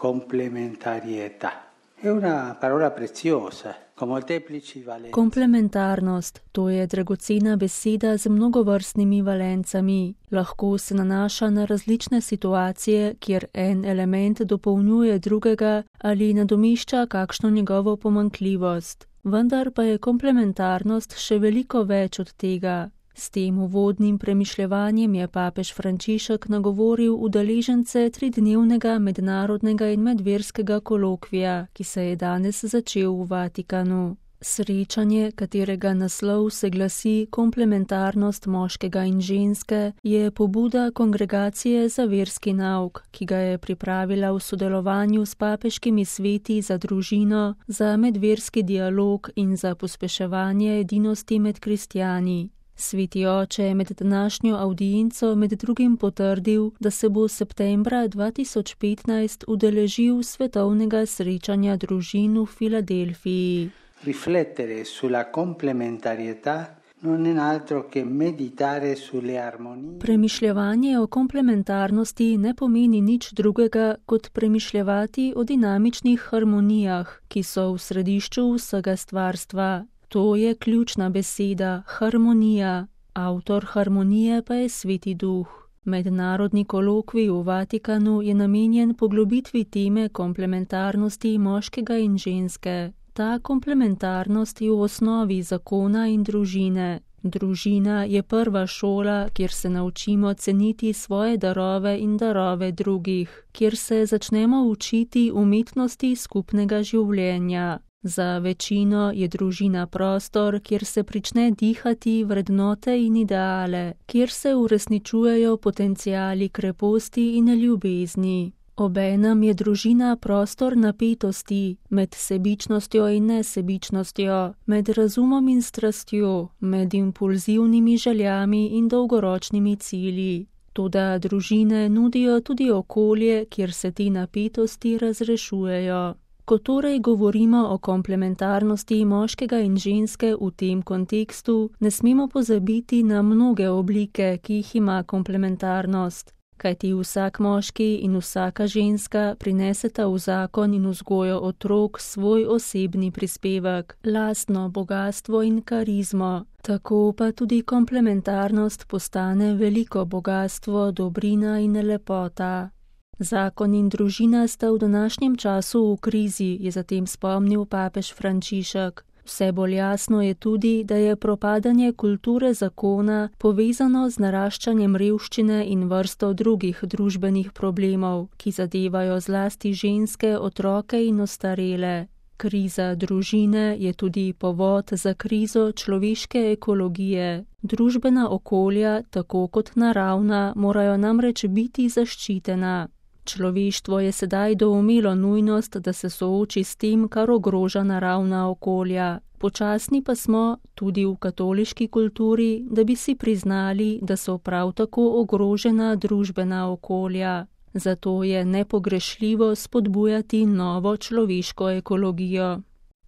Complementarietà. È una parola preziosa, con molteplici valenze. Komplementarnost, to je dragocena beseda z mnogovrstnimi valencami. Lahko se nanaša na različne situacije, kjer en element dopolnjuje drugega ali nadomešča kakšno njegovo pomanjkljivost. Vendar pa je komplementarnost še veliko več od tega. S tem uvodnim premišljevanjem je papež Frančišek nagovoril udeležence 3-dnevnega mednarodnega in medverskega kolokvija, ki se je danes začel v Vatikanu. Srečanje, katerega naslov se glasi Komplementarnost moškega in ženske, je pobuda Kongregacije za verski nauk, ki ga je pripravila v sodelovanju s papeškimi sveti za družino, za medverski dialog in za pospeševanje edinosti med kristjani. Sveti oče je med današnjo avdienco med drugim potrdil, da se bo septembra 2015 udeležil svetovnega srečanja družin v Filadelfiji. Riflettere sulla complementarietà non è altro che meditare sulle armonie. Premišljevanje o komplementarnosti ne pomeni nič drugega, kot premišljevati o dinamičnih harmonijah, ki so v središču vsega stvarstva. To je ključna beseda, harmonija. Avtor harmonije pa je Sveti Duh. Mednarodni kolokvij v Vatikanu je namenjen poglobitvi teme komplementarnosti moškega in ženske. Ta komplementarnost je v osnovi zakona in družine. Družina je prva šola, kjer se naučimo ceniti svoje darove in darove drugih, kjer se začnemo učiti umetnosti skupnega življenja. Za večino je družina prostor, kjer se prične dihati vrednote in ideale, kjer se uresničujejo potenciali kreposti in ljubezni. Obenem je družina prostor napetosti med sebičnostjo in nesebičnostjo, med razumom in strastjo, med impulzivnimi željami in dolgoročnimi cilji. Toda družine nudijo tudi okolje, kjer se te napetosti razrešujejo. Ko torej govorimo o komplementarnosti moškega in ženske v tem kontekstu, ne smemo pozabiti na mnoge oblike, ki jih ima komplementarnost. Kajti vsak moški in vsaka ženska prineseta v zakon in vzgojo otrok svoj osebni prispevek, lastno bogastvo in karizmo. Tako pa tudi komplementarnost postane veliko bogastvo, dobrina in lepota. Zakon in družina sta v današnjem času v krizi, je zatem spomnil papež Frančišek. Vse bolj jasno je tudi, da je propadanje kulture zakona povezano z naraščanjem revščine in vrsto drugih družbenih problemov, ki zadevajo zlasti ženske, otroke in ostarele. Kriza družine je tudi povod za krizo človeške ekologije. Družbena okolja, tako kot naravna, morajo namreč biti zaščitena. Človeštvo je sedaj doumelo nujnost, da se sooči s tem, kar ogroža naravna okolja. Počasni pa smo, tudi v katoliški kulturi, da bi si priznali, da so prav tako ogrožena družbena okolja. Zato je nepogrešljivo spodbujati novo človeško ekologijo.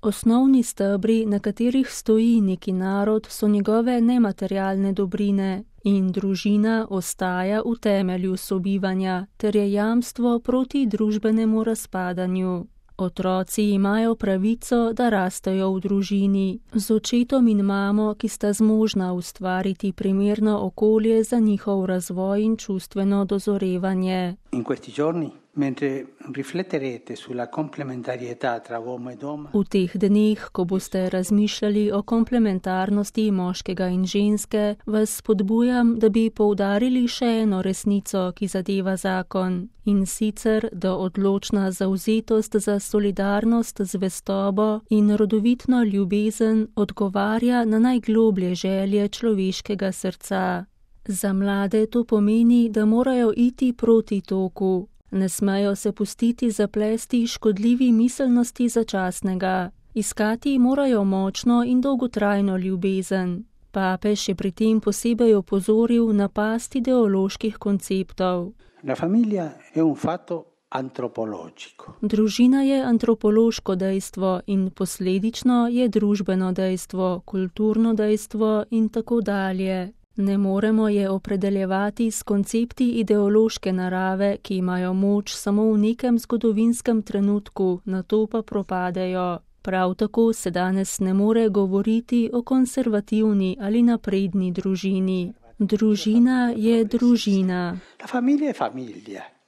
Osnovni stebri, na katerih stoji neki narod, so njegove nematerialne dobrine in družina ostaja v temelju sobivanja ter je jamstvo proti družbenemu razpadanju. Otroci imajo pravico, da rastejo v družini, z očetom in mamo, ki sta zmožna ustvariti primerno okolje za njihov razvoj in čustveno dozorevanje. In questi giorni, mentre rifletterete sulla complementarietà tra uomo e donna, v teh dneh, ko boste razmišljali o komplementarnosti moškega in ženske, vas spodbujam, da bi poudarili še eno resnico, ki zadeva zakon. In sicer, da odločna zavzetost za solidarnost, zvestobo in rodovitno ljubezen odgovarja na najgloblje želje človeškega srca. Za mlade to pomeni, da morajo iti proti toku. Ne smejo se pustiti zaplesti škodljivi miselnosti začasnega. Iskati morajo močno in dolgotrajno ljubezen. Papež je pri tem posebej opozoril na past ideoloških konceptov. La famiglia è un fatto antropologico. Družina je antropološko dejstvo in posledično je družbeno dejstvo, kulturno dejstvo in tako dalje. Ne moremo je opredeljevati s koncepti ideološke narave, ki imajo moč samo v nekem zgodovinskem trenutku, nato pa propadejo. Prav tako se danes ne more govoriti o konservativni ali napredni družini. Družina je družina. La famiglia è famiglia.